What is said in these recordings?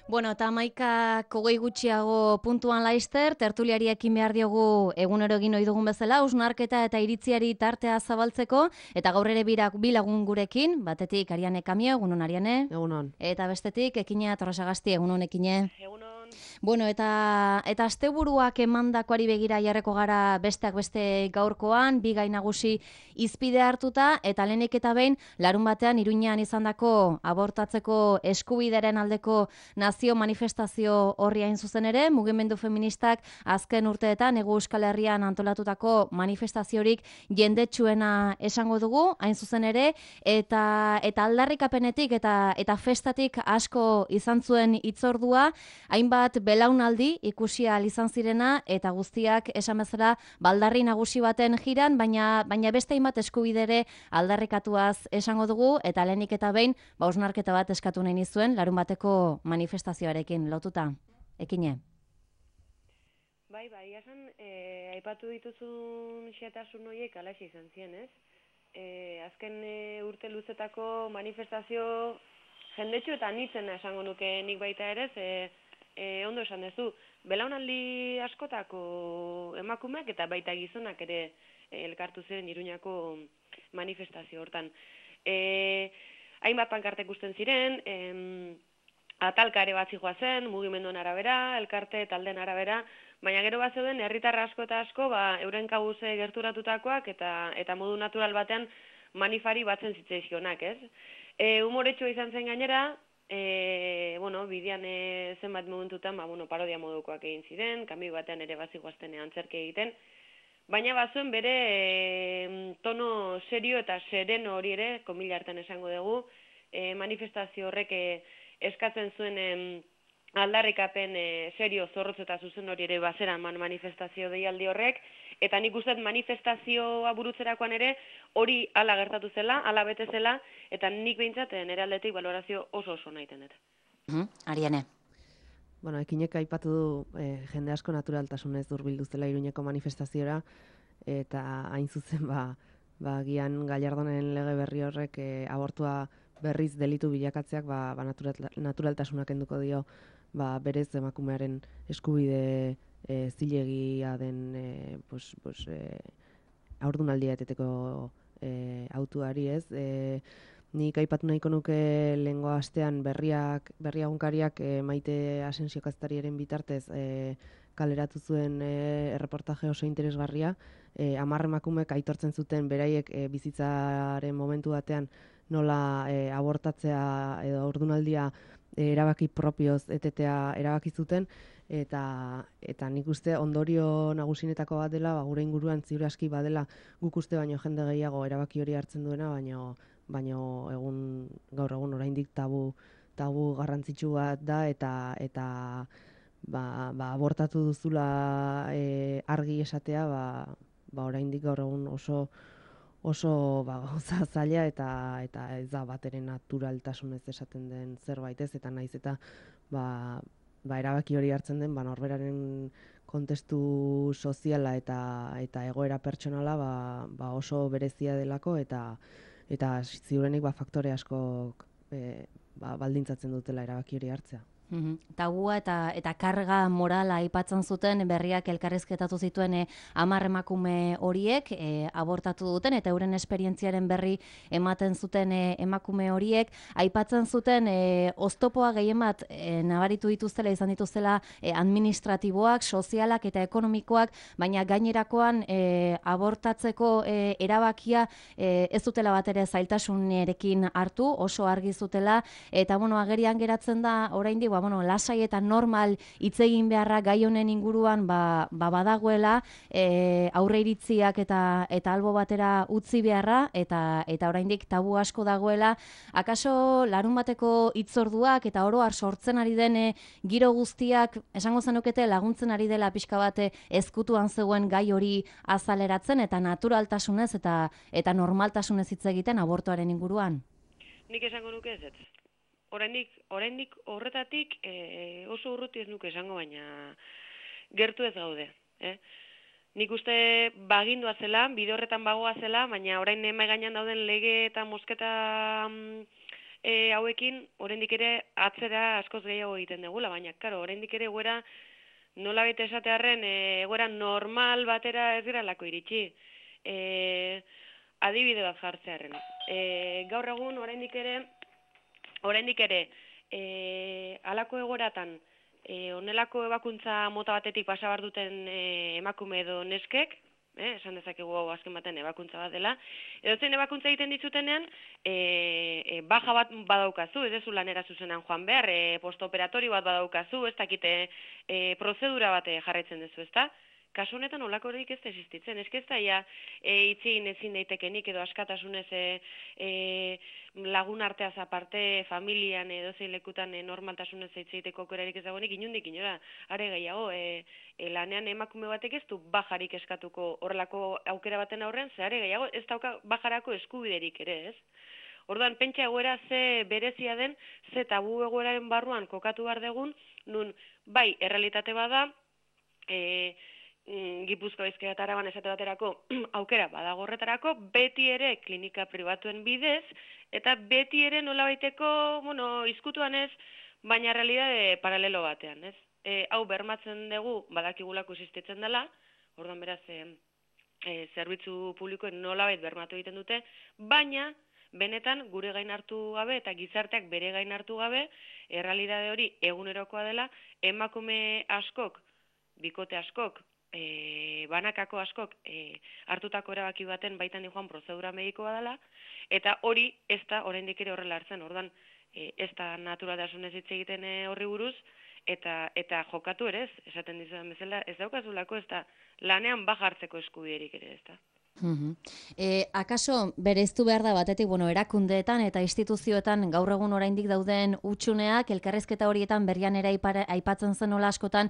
Bueno, eta 11:20 gutxiago puntuan laizter, tertuliari ekin behar diogu egunero egin ohi dugun bezala, hausnarketa eta iritziari tartea zabaltzeko, eta gaur ere bi lagun gurekin, batetik Ariane Kamio, egunon Ariane, Egunon. eta bestetik Ekine Torrasagasti, egunon Ekine. Egunon. Bueno, eta asteburuak emandakoari begira jarreko gara besteak beste gaurkoan, bi gai nagusi hizpide hartuta, eta lehenik eta behin, larun batean Iruñean izandako abortatzeko eskubidearen aldeko nazio manifestazio horri hain zuzen ere, mugimendu feministak azken urteetan Hego Euskal Herrian antolatutako manifestaziorik jendetsuena esango dugu, hain zuzen ere, eta aldarrikapenetik eta festatik asko izan zuen hitzordua, hainbat belaunaldi ikusi ahal izan zirena, eta guztiak esan bezala baldarri nagusi baten jiran, baina beste hainbat eskubidere aldarrikatuaz esango dugu, eta lehenik eta behin, hausnarketa bat eskatu nahi nizuen, larun bateko manifestazioarekin lotuta. Ekine? Bai, esan, aipatu dituzun xetasun horiek alaxe izan ziren, ez? Azken urte luzetako manifestazio jendetsu eta anitzena esango nuke nik baita ere, ondo esan duzu, belaunaldi askotako emakumeak eta baita gizonak ere elkartu ziren Iruñako manifestazio hortan. Hainbat pankartek ikusten ziren, atalka ere bat zijoazen, mugimenduen arabera, elkarte taldeen arabera, baina gero bat zeuden herritar asko eta asko euren kabuze gerturatutakoak eta modu natural batean manifari batzen zitzaizkionak, ez? Humoretsua izan zen gainera, bidean zenbat momentutan parodia modukoak egin ziren, kamio batean ere bat zijoazten antzerki egiten, baina bazuen bere tono serio eta sereno hori ere, komila hartan esango dugu, manifestazio horrek eskatzen zuen aldarrikapen serio zorrotz eta zuzen hori ere bazera manifestazio deialdi horrek, eta nik uste manifestazioa burutzerakoan ere hori hala gertatu zela, hala bete zela, eta nik behintzat nire aldetik balorazio oso nahiten dut. Ariane. Bueno, Ekinek aipatu du jende asko naturaltasunez hurbildu zela Iruñeko manifestaziora, eta hain zuzen gian Gallardonen lege berri horrek abortua berriz delitu bilakatzeak naturaltasuna kenduko dio berez emakumearen eskubide zilegia den haurdunaldia eteteko autuari, ez? Nik aipatu nahiko nuke lehengo astean berri egunkariak Maite Asensio kazetariaren bitartez kaleratu zuen erreportaje oso interesgarria, 10 emakumek aitortzen zuten beraiek bizitzaren momentu batean nola abortatzea edo haurdunaldia erabaki propioz etetea erabaki zuten, eta nik uste ondorio nagusinetako bat dela, gure inguruan ziur aski badela guk uste baino jende gehiago erabaki hori hartzen duena, baino gaur egun oraindik tabu garrantzitsu bat da, eta abortatu duzula argi esatea, oraindik gaur egun oso gauza zaila eta ez da batere naturaltasunez esaten den zerbait, ez, eta naiz eta erabaki hori hartzen den norberaren kontestu soziala eta egoera pertsonala oso berezia delako, eta ziurenik faktore askok baldintzatzen dutela erabaki hori hartzea. Tabua eta karga morala aipatzen zuten berriak elkarrizketatu zituen 10 emakume horiek abortatu duten, eta euren esperientziaren berri ematen zuten emakume horiek aipatzen zuten oztopoa gehien bat nabaritu dituztela, izan dituztela administratiboak, sozialak eta ekonomikoak, baina gainerakoan abortatzeko erabakia ez dutela bat ere zailtasunerekin hartu, oso argi zutela, eta agerian geratzen da oraindik lasai eta normal hitz egin beharra gai honen inguruan badagoela, aurre iritziak eta albo batera utzi beharra, eta oraindik tabu asko dagoela. Akaso larun bateko hitzorduak eta oro har sortzen ari den giro guztiak esango zenukete laguntzen ari dela pixka bat ezkutuan zegoen gai hori azaleratzen eta naturaltasunez eta normaltasunez hitz egiten abortuaren inguruan? Nik esango nuke ez. Oraindik horretatik oso urruti ez nuke esango, baina gertu ez gaude. Nik uste bagindua zela, bide horretan bagoa zela, baina orain mahai gainean dauden lege eta mosketa hauekin oraindik ere atzera askoz gehiago egiten degula, baina claro, oraindik ere egoera nolabait esatearren egoera normal batera ez geralako iritsi. Adibide bat jartzearren. Gaur egun oraindik ere halako egoeratan honelako ebakuntza mota batetik pasa behar duten emakume edo neskek, esan dezakegu hau azken baten ebakuntza bat dela, edozein ebakuntza egiten ditzutenean, baja bat badaukazu, ez dezu lanera zuzenan joan behar, postoperatorio bat badaukazu, ez dakite prozedura bat jarraitzen duzu, ezta? Kasu honetan olakorik ez da existitzen, ez da ja itxin ezin daitekenik edo askatasunez lagun arteaz aparte, familian edo zein lekutan normaltasunez hitz egiteko aukerarik ez dagoenik inundik inora, are gehiago, lanean emakume batek ez du bajarik eskatuko horrelako aukera baten aurren, ze are gehiago ez dauka bajarako eskubiderik ere, ez? Orduan, pentsa egoera ze berezia den, ze tabu egoeraren barruan kokatu behar degun, nun, bai, errealitate bada, Gipuzkoa Bizkaia eta Araban esate baterako aukera badago horretarako, beti ere klinika pribatuen bidez, eta beti ere nolabaiteko, izkutuan ez, baina realidade paralelo batean, ez? Hau bermatzen dugu, badakigulako existitzen dela, orduan beraz, zerbitzu publikoen nolabait bermatu egiten dute, baina, benetan gure gain hartu gabe eta gizarteak bere gain hartu gabe, errealidade hori egunerokoa dela, emakume askok, bikote askok, banakako askok hartutako erabaki baten baitan joan prozedura medikoa dela, eta hori ez da oraindik ere horrela hartzen, ordan ez da naturaltasunez hitz egiten horri buruz, eta jokatu ere ez, esaten dizudan bezala, ez daukazulako ez da lanean bajartzeko eskubiderik ere ez da. Akaso bereiztu behar da batetik, erakundeetan eta instituzioetan gaur egun oraindik dauden hutsuneak, elkarrizketa horietan berrian ere aipatzen zen nola askotan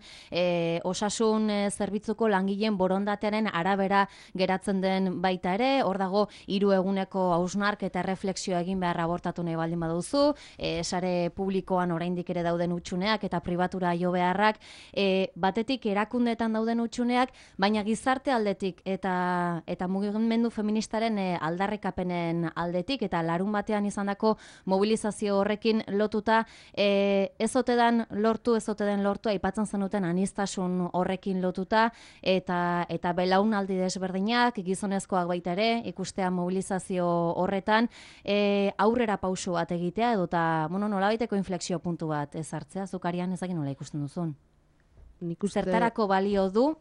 osasun zerbitzuko langileen borondatearen arabera geratzen den baita ere, hor dago 3 eguneko hausnark eta erreflexioa egin behar abortatu nahi baldin baduzu, sare publikoan oraindik ere dauden hutsuneak eta pribatura jo beharrak, batetik erakundeetan dauden hutsuneak, baina gizarte aldetik eta mugimendu feministaren aldarrikapenen aldetik eta larun batean izandako mobilizazio horrekin lotuta ez ote den lortu aipatzen zenuten aniztasun horrekin lotuta eta belaunaldi desberdinak gizonezkoak baita ere ikustea mobilizazio horretan aurrera pausu bat egitea edota nolabaiteko inflexio puntu bat ezartzea zukarian ezakin nola ikusten duzun. Zertarako balio du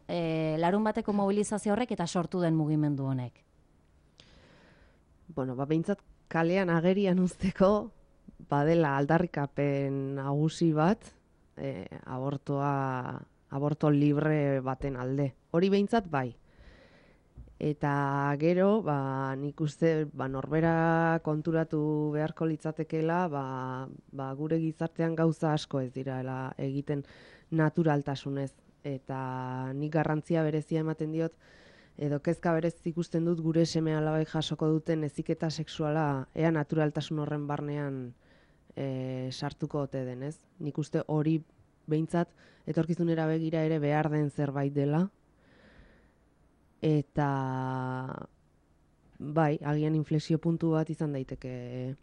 larun bateko mobilizazio horrek eta sortu den mugimendu honek? Behintzat kalean agerian uzteko badela aldarrikapen nagusi bat aborto libre baten alde. Hori behintzat bai. Eta gero, nik uste norbera konturatu beharko litzatekeela, gure gizartean gauza asko ez direla egiten naturaltasunez. Eta nik garrantzia berezia ematen diot, edo kezka berez ikusten dut gure seme-alabek jasoko duten heziketa sexuala ea naturaltasun horren barnean sartuko ote denez. Nik uste hori behintzat etorkizunera begira ere behar den zerbait dela. Eta bai, agian inflexio puntu bat izan daiteke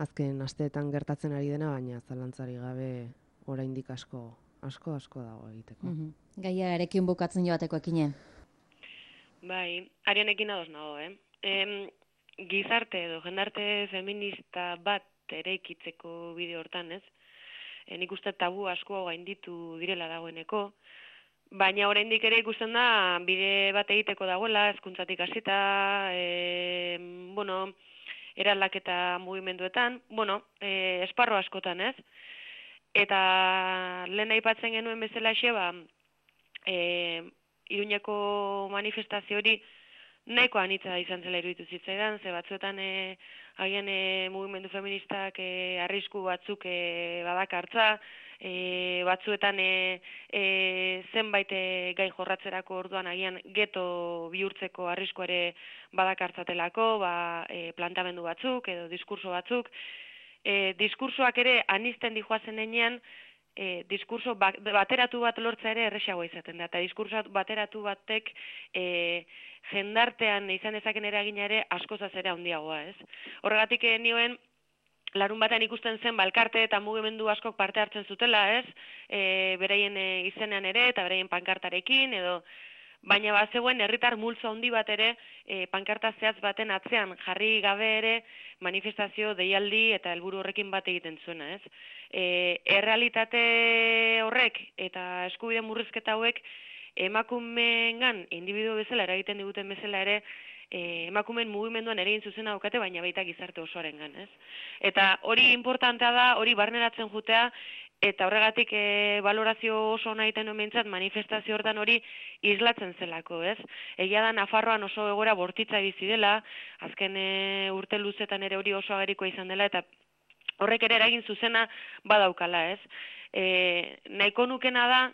azken asteetan gertatzen ari dena, baina zalantzari gabe oraindik asko dago egiteko. Gaiarekin bukatzen joateko ekine. Bai, Arianekin ados nago, Gizarte edo jendarte feminista bat eraikitzeko bide hortan, ez? Nik uste tabu asko gainditu direla dagoeneko, baina oraindik ere ikusten da bide bat egiteko dagoela, hezkuntzatik hasita, eraldaketa mugimenduetan, esparro askotan, ez? Eta lehen aipatzen genuen bezalaxe, Iruñeko manifestazio hori nahiko anitza izan zela iruditu zitzaidan, ze batzuetan agian mugimendu feministak arrisku batzuk badakartza, batzuetan zenbait gai jorratzerako orduan agian geto bihurtzeko arriskua ere badakartzatelako, plantamendu batzuk edo diskurso batzuk. Diskursoak ere anizten dijoazen enean, diskurso bateratu bat lortza ere erresagoa izaten da, eta diskurso bateratu batek jendartean izan dezaken eragina ere askozaz ere handiagoa, ez? Horregatik nioen larun batean ikusten zen elkarte eta mugimendu askok parte hartzen zutela, ez? Beraien izenean ere eta beraien pankartarekin edo baina bazegoen herritar multzo handi bat ere pankarta zehatz baten atzean jarri gabe ere manifestazio deialdi eta helburu horrekin bat egiten zuena, ez? Errealitate horrek eta eskubide murrizketa hauek emakumeengan indibidu bezala eragiten diguten bezala ere emakumeen mugimenduan ere egin zuzena daukate, baina baita gizarte osoarengan, ez? Eta hori importantea da, hori barneratzen jutea, eta horregatik balorazio oso ona egiten nuen behintzat manifestazio hortan hori islatzen zelako, ez? Egia da Nafarroan oso egoera bortitza bizi dela, azken urte luzetan ere hori oso agerikoa izan dela, eta horrek ere eragin zuzena badaukala, ez? Nahiko nukena da,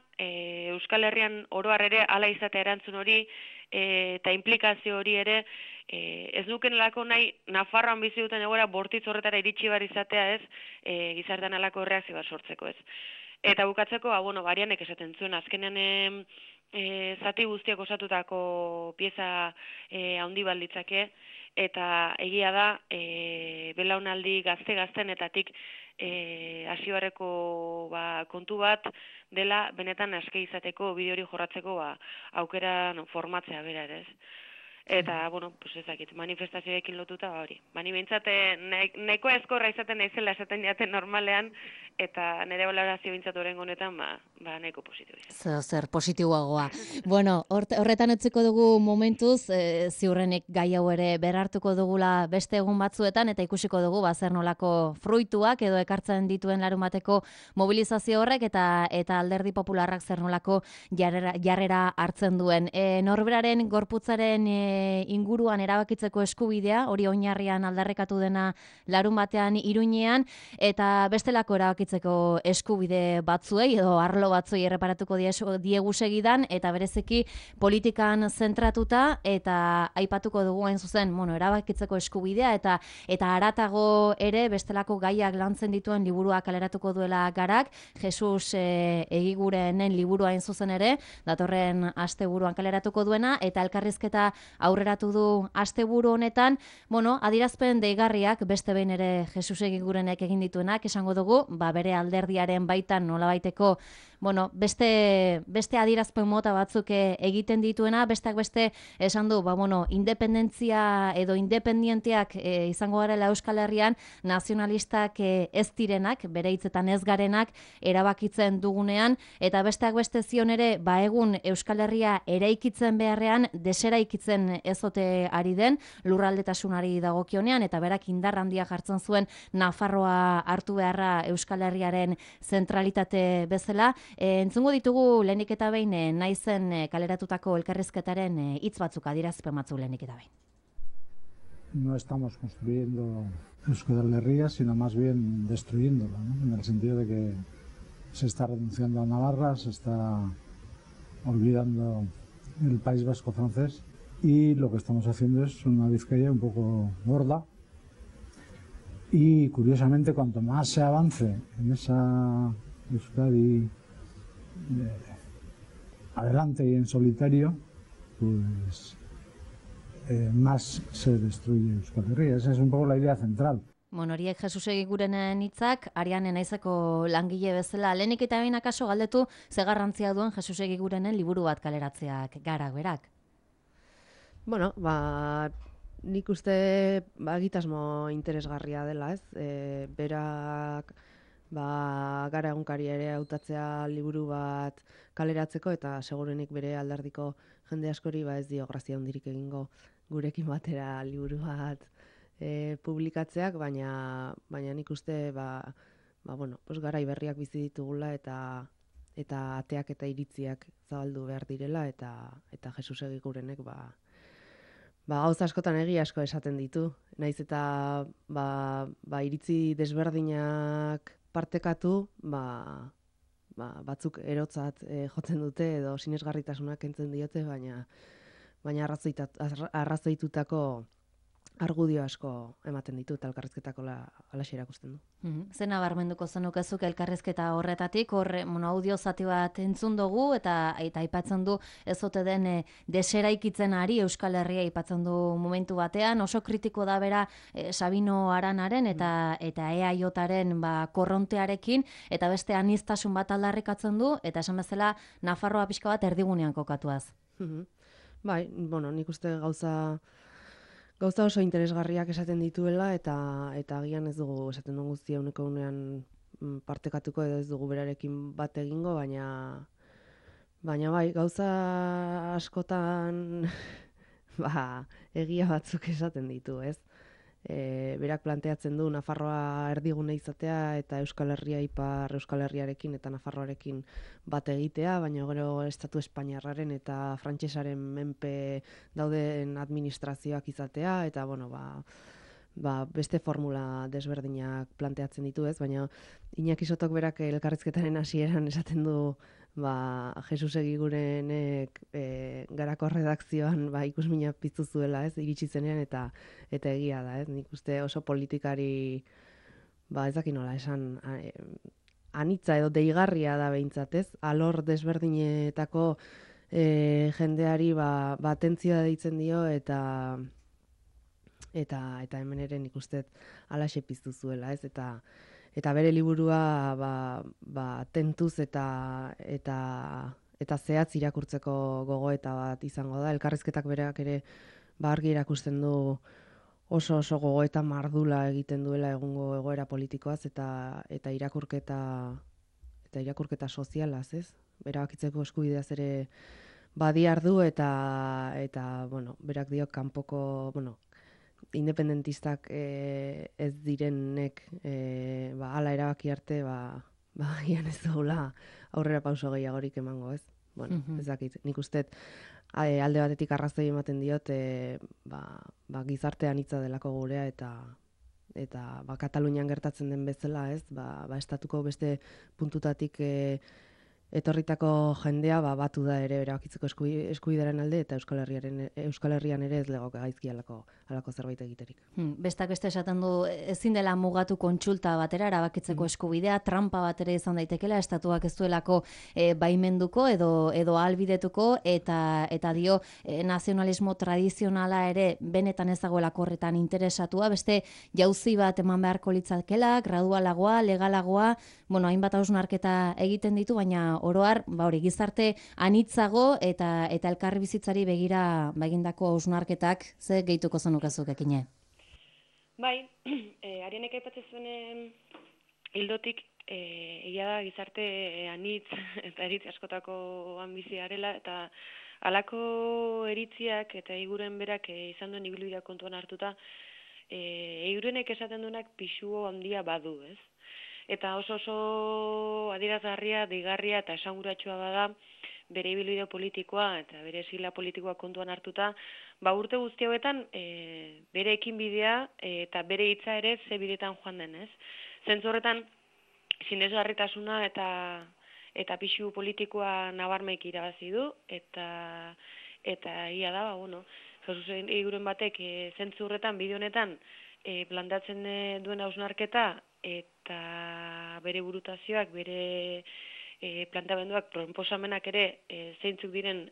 Euskal Herrian oro har ere hala izatea erantzun hori, eta implikazio hori ere, ez nukenelako nahi Nafarroan bizi duten egoera bortitz horretara iritsi bar izatea, ez, gizartean halako erreakzio bat sortzeko, ez. Eta bukatzeko, Arianek esaten zuen, azkenean zati guztiak osatutako pieza handi balditzake, eta egia da, belaunaldi gaztenetatik hasi barreko kontu bat dela benetan aske izateko bide hori jorratzeko aukera formatzea bera ere, ez. Eta, pues ezakit, manifestazioekin lotuta hori. Bani behintzat, nahiko eskorra izaten naizela esaten jaten normalean, eta nire balorazio behintzat horrengo honetan, nahiko positibo. Zer positiboagoa. Bueno, horretan utziko dugu momentuz, ziurrenik gai hau ere berartuko dugula beste egun batzuetan, eta ikusiko dugu, zer nolako fruituak edo ekartzen dituen larun bateko mobilizazio horrek, eta Alderdi Popularrak zer nolako jarrera hartzen duen. Norberaren gorputzaren inguruan erabakitzeko eskubidea, hori oinarrian aldarrekatu dena larun batean Iruñean, eta bestelako erabakitzeko eskubide batzuei, edo arlo batzuei erreparatuko diegu segidan, eta bereziki politikan zentratuta, eta aipatuko dugu hain zuzen, erabakitzeko eskubidea, eta haratago ere bestelako gaiak lantzen dituen liburua kaleratuko duela Garak, Jesus Egigurenen liburua hain zuzen ere, datorren asteburuan kaleratuko duena, eta elkarrizketa aurreratu du asteburu honetan, adierazpen deigarriak beste behin ere Jesus Egigurenek egin dituenak, esango dugu, bere alderdiaren baitan nolabaiteko, beste adierazpen mota batzuk egiten dituena, besteak beste esan du, independentzia edo independienteak izango garela Euskal Herrian, nazionalistak ez direnak, bere hitzetan ez garenak, erabakitzen dugunean, eta besteak beste zion ere, egun Euskal Herria eraikitzen beharrean, deseraikitzen ezote ari den, lurraldetasunari dagokionean, eta berak indar handia jartzen zuen Nafarroa hartu beharra Euskal Herriaren zentralitate bezala. Entzungo ditugu lehenik eta behin naizen kaleratutako elkarrizketaren hitz batzuk adierazpen batzuk lehenik eta behin. No estamos construyendo Euskal Herria, sino más bien destruyéndola, ¿no? En el sentido de que se está renunciando a Navarra, se está olvidando el País Vasco francés, y lo que estamos haciendo es una Vizcaya un poco gorda. Y curiosamente, cuanto más se avance en esa Euskadi adelante y en solitario, pues más se destruye Euskal Herria. Esa es un poco la idea central. Horiek Jesus Egigurenen hitzak, Ariane naizeko langile bezala, lehenik eta behin akaso galdetu ze garrantzia duen Jesus Egigurenen liburu bat kaleratzeak Garak berak. Nik uste egitasmo interesgarria dela, ez? Berak Gara egunkari ere hautatzea liburu bat kaleratzeko, eta segurenik bere alderdiko jende askori ez dio grazia handirik egingo gurekin batera liburu bat publikatzeak, baina nik uste garai berriak bizi ditugula, eta ateak eta iritziak zabaldu behar direla, eta Jesus Egigurenek gauza askotan egia asko esaten ditu. Naiz eta iritzi desberdinak partekatu, batzuk erotzat jotzen dute edo sinesgarritasunak kentzen diote, baina arrazoitutako argudio asko ematen ditu eta elkarrizketako alaxe erakusten du. Zena barmenduko zenukezuk elkarrizketa horretatik, audio zati bat entzun dugu eta aipatzen du ez ote den deseraikitzen ari Euskal Herria aipatzen du momentu batean, oso kritiko da bera Sabino Aranaren eta EAJaren korrontearekin, eta beste aniztasun bat aldarrikatzen du, eta esan bezala Nafarroa pixka bat erdigunean kokatuaz. Bai, nik uste gauza oso interesgarriak esaten dituela eta agian ez dugu esaten dugu guztia uneko unean partekatuko edo ez dugu berarekin bat egingo, baina bai, gauza askotan egia batzuk esaten ditu, ez? Berak planteatzen du Nafarroa erdigune izatea eta Euskal Herria ipar Euskal Herriarekin eta Nafarroarekin bat egitea, baina gero Estatu Espainiarraren eta Frantsesaren menpe dauden administrazioak izatea, eta beste formula desberdinak planteatzen ditu, ez? Baina Iñaki Sotok berak elkarrizketaren hasieran esaten du Jesus Egigurenek Garako redakzioan ikusmina piztu zuela, ez, iritsi zenean, eta egia da, ez, nik uste oso politikari ez dakit nola esan anitza edo deigarria da behintzat, ez, alor desberdinetako jendeari atentzioa deitzen dio eta hemen ere nik uste alaxe piztu zuela, ez, eta bere liburua tentuz eta zehatz irakurtzeko gogoeta bat izango da. Elkarrizketak berak ere argi erakusten du oso gogoeta mardula egiten duela egungo egoera politikoaz eta irakurketa sozialaz, ez? Erabakitzeko eskubideaz ere badiardu eta berak dio kanpoko, independentistak ez direnek hala erabaki arte gian ez dugula aurrera pauso gehiagorik emango, ez? Ez dakit, nik uste alde batetik arrazoi ematen diot gizarte anitza delako gurea eta Katalunian gertatzen den bezala, ez? Estatuko beste puntutatik etorritako jendea batu da ere erabakitzeko eskubidearen alde, eta Euskal Herrian ere ez legoke gaizki halako zerbait egiterik. Bestak beste esaten du ezin dela mugatu kontsulta batera erabakitzeko eskubidea, trampa bat ere izan daitekela, estatuak ez duelako baimenduko edo ahalbidetuko, eta dio nazionalismo tradizionala ere benetan ez dagoelako horretan interesatua, beste jauzi bat eman beharko litzakela, gradualagoa, legalagoa, hainbat hausnarketa egiten ditu, baina oroar, gizarte anitzago eta elkarri bizitzari begira egindako hausnarketak ze gehituko zenukezuk ekine? Bai, Arianek aipatzen zuen hildotik egia da gizarte anitz eta eritzi askotako ambizia arela, eta halako eritziak eta Eiguren berak izan duen ibilbidea kontuan hartuta, Eigurenek esaten duenak pisu handia badu, ez? Eta oso adierazgarria, deigarria eta esanguratsua bada bere ibilbide politikoa eta bere sila politikoa kontuan hartuta, urte guzti hauetan bere ekinbidea eta bere hitza ere ze bidetan joan den, ez? Zentzu horretan sinesgarritasuna eta pisu politikoa nabarmeik irabazi du, eta ia da, Jesus Eiguren batek zentzu horretan, bide honetan plantatzen duen hausnarketa eta bere burutazioak, bere plantamenduak, proposamenak ere zeintzuk diren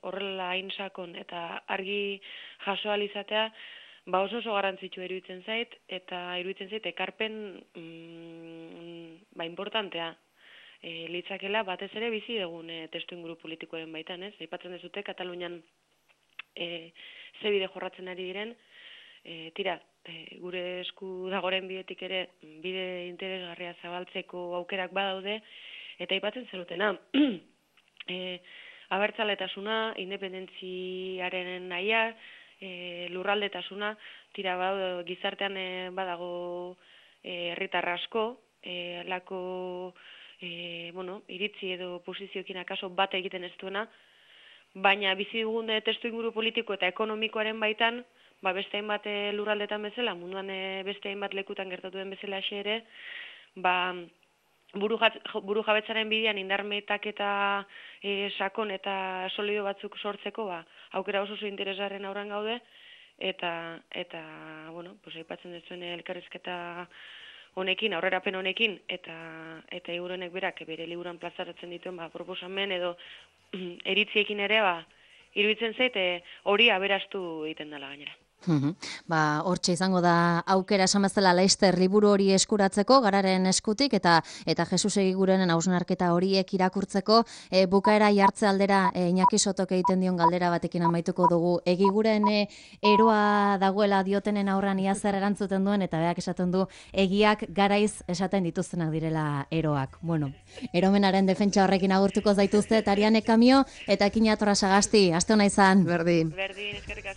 horrela hain sakon eta argi jaso ahal izatea, oso garrantzitsua iruditzen zait, eta iruditzen zait ekarpen importantea litzakela batez ere bizi dugun testuinguru politikoaren baitan, ez? Aipatzen dezute Katalunian ze bide jorratzen ari diren, gure esku dagoren bidetik ere bide interesgarria zabaltzeko aukerak badaude, eta aipatzen zenutena abertzaletasuna, independentziaren nahia, lurraldetasuna, gizartean badago herritar asko, halako iritzi edo posizioekin akaso bat egiten ez duena, baina bizi dugun testuinguru politiko eta ekonomikoaren baitan, beste hainbat lurraldetan bezala, munduan beste hainbat lekutan gertatu den bezala ere, buru jabetzaren bidean indarmetak eta sakon eta solido batzuk sortzeko, aukera oso interesgarren aurrean gaude, eta bueno, pues aipatzen duzuen elkarrizketa honekin, aurrerapen honekin, eta Egurenek berak bere liburuan plazaratzen dituen proposamen edo eritziekin ere iruditzen zait hori aberastu egiten dela gainera. Hortxe izango da aukera esan bezala Laster liburu hori eskuratzeko, Gararen eskutik, eta Jesus Egigurenen hausnarketa horiek irakurtzeko, bukaera jartze aldera Iñaki Sotok egiten dion galdera batekin amaituko dugu. Egiguren eroa dagoela diotenen aurran ia zer erantzuten duen, eta beak esaten du egiak garaiz esaten dituztenak direla eroak. Bueno, eromenaren defentsa horrekin agurtuko zaituzte, Ariane Kamio eta Kina Torra Sagasti. Aste ona izan. Berdin. Berdin, eskerrik